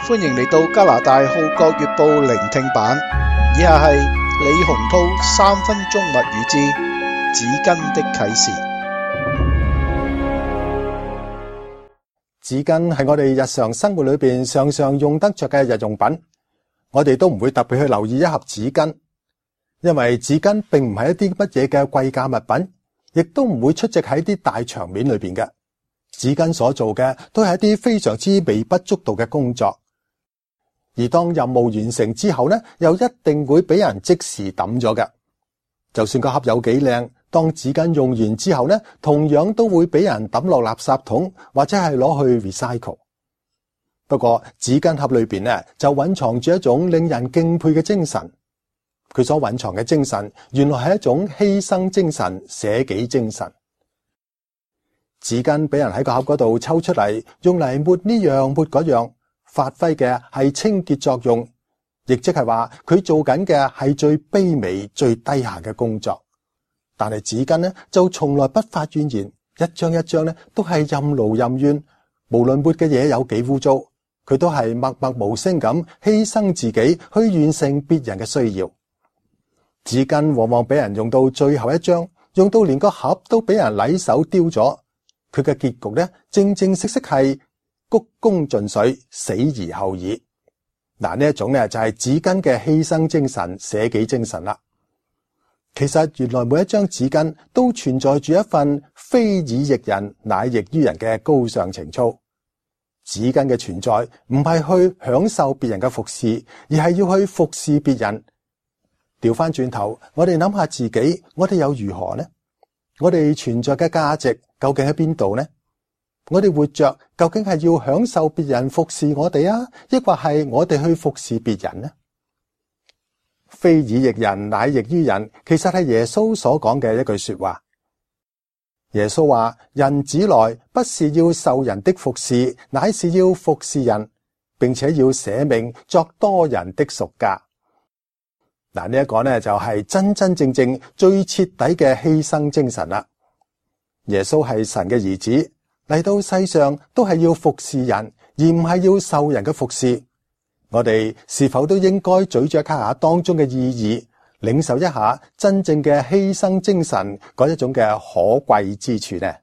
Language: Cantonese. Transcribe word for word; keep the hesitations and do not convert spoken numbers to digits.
歡迎嚟到加拿大《號角月報》聆聽版，以下係李洪濤三分鐘密語之紙巾的啟示。紙巾係我哋日常生活裏邊常常用得着嘅日用品，我哋都唔會特別去留意一盒紙巾，因為紙巾並唔係一啲乜嘢嘅貴價物品，亦都唔會出席喺啲大場面裏邊嘅。紙巾所做嘅都係一啲非常之微不足道嘅工作，而當任務完成之後呢，又一定會俾人即時抌咗嘅。就算個盒有幾靚，當紙巾用完之後呢，同樣都會俾人抌落垃圾桶或者係攞去 recycle。不過紙巾盒裏邊呢，就隱藏住一種令人敬佩嘅精神，佢所隱藏嘅精神原來係一種犧牲精神、捨己精神。紙巾俾人喺個盒嗰度抽出嚟，用嚟抹呢樣抹嗰樣，發揮嘅係清潔作用，亦即係話佢做緊嘅係最卑微、最低下嘅工作。但係紙巾呢，就從來不發怨言，一張一張呢都係任勞任怨，無論抹嘅嘢有幾污糟，佢都係默默無聲咁犧牲自己去完成別人嘅需要。紙巾往往俾人用到最後一張，用到連個盒都俾人禮手丟咗。佢嘅結局呢，正正式式係鞠躬盡瘁，死而後已。嗱，呢一種呢，就係紙巾嘅犧牲精神、捨己精神啦。其實原來每一張紙巾都存在住一份非以役人乃役於人嘅高尚情操。紙巾嘅存在唔係去享受別人嘅服侍，而係要去服侍別人。調翻轉頭，我哋諗下自己，我哋又如何呢？我哋存在嘅價值究竟喺邊度呢？我哋活着究竟係要享受別人服侍我哋啊，抑或係我哋去服侍別人呢？非以役人乃役於人，其實係耶穌所講嘅一句說話。耶穌話：人子來不是要受人的服侍，乃是要服侍人，並且要捨命作多人的贖價。嗱，呢一個呢，就係真真正正最徹底嘅犧牲精神啦。耶穌係神嘅兒子，嚟到世上都係要服侍人，而唔係要受人嘅服侍。我哋是否都應該咀嚼一下當中嘅意義，領受一下真正嘅犧牲精神嗰一種嘅可貴之處呢？